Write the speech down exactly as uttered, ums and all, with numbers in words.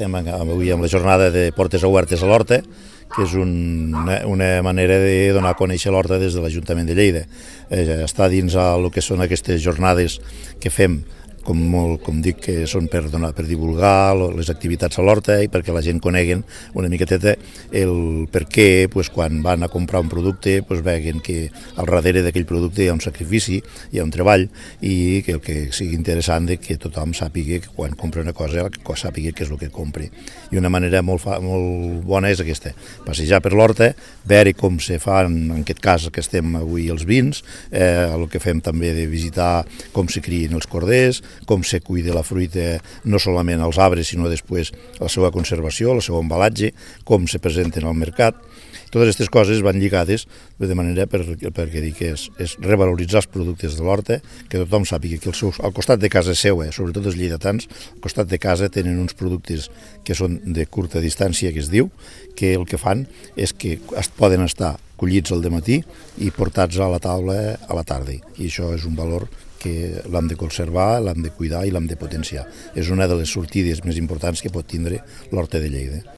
estem avui amb la jornada de Portes Obertes a l'Horta, que és un, una, una manera de donar a conèixer l'Horta des de l'Ajuntament de Lleida. Eh, està dins el que són aquestes jornades que fem, com, molt, com dic, que són per, donar, per divulgar les activitats a l'Horta i perquè la gent coneguen una miqueteta el per què, pues, quan van a comprar un producte, pues, veguen que al darrere d'aquell producte hi ha un sacrifici, hi ha un treball, i que el que sigui interessant de que tothom sàpiga que quan compra una cosa, que sàpiga què és el que compri. I una manera molt, fa, molt bona és aquesta, passejar per l'Horta, veure com se fan, en aquest cas que estem avui els vins, eh, el que fem també de visitar com se crien els corders, com se cuida la fruita, no solament als arbres, sinó després la seva conservació, el seu embalatge, com se presenten al mercat. Totes aquestes coses van lligades de manera per, perquè dic que és, és revaloritzar els productes de l'Horta, que tothom sàpiga que el seu, al costat de casa seva, sobretot els lleidatans, al costat de casa tenen uns productes que són de curta distància, que es diu, que el que fan és que es poden estar collits al dematí i portats a la taula a la tarda. I això és un valor que l'hem de conservar, l'hem de cuidar i l'hem de potenciar. És una de les sortides més importants que pot tindre l'Horta de Lleida.